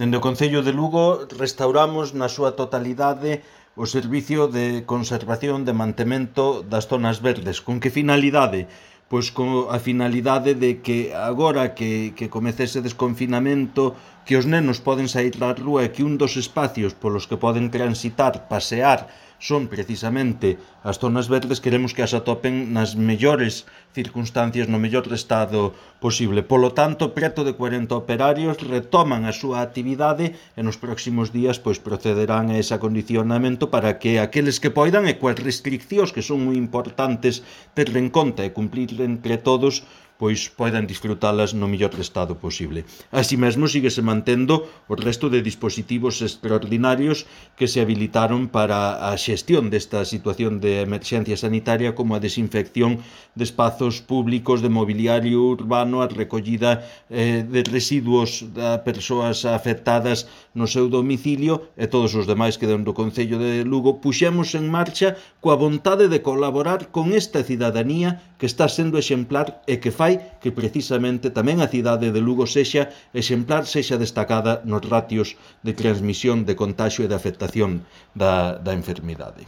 Dende o Concello de Lugo restauramos na súa totalidade o servicio de conservación de mantemento das zonas verdes. Con que finalidade? Pois con a finalidade de que agora que comece ese desconfinamento, que os nenos poden saír á rúa e que un dos espacios polos que poden transitar, pasear, son precisamente as zonas verdes, queremos que as atopen nas mellores circunstancias, no mellor estado posible. Polo tanto, preto de 40 operarios retoman a súa actividade e nos próximos días procederán a ese acondicionamento para que aqueles que poidan e coas restriccións que son moi importantes ter en conta e cumplir entre todos, poidan disfrutalas no mellor estado posible. Así mesmo, síguese mantendo o resto de dispositivos extraordinarios que se habilitaron para a xestión desta situación de emerxencia sanitaria, como a desinfección de espazos públicos, de mobiliario urbano, a recollida de residuos de persoas afectadas no seu domicilio e todos os demais que dentro do Concello de Lugo puxemos en marcha coa vontade de colaborar con esta cidadanía que está sendo exemplar e que fai que precisamente tamén a cidade de Lugo sexa exemplar, sexa destacada nos ratios de transmisión, de contagio e de afectación da enfermidade.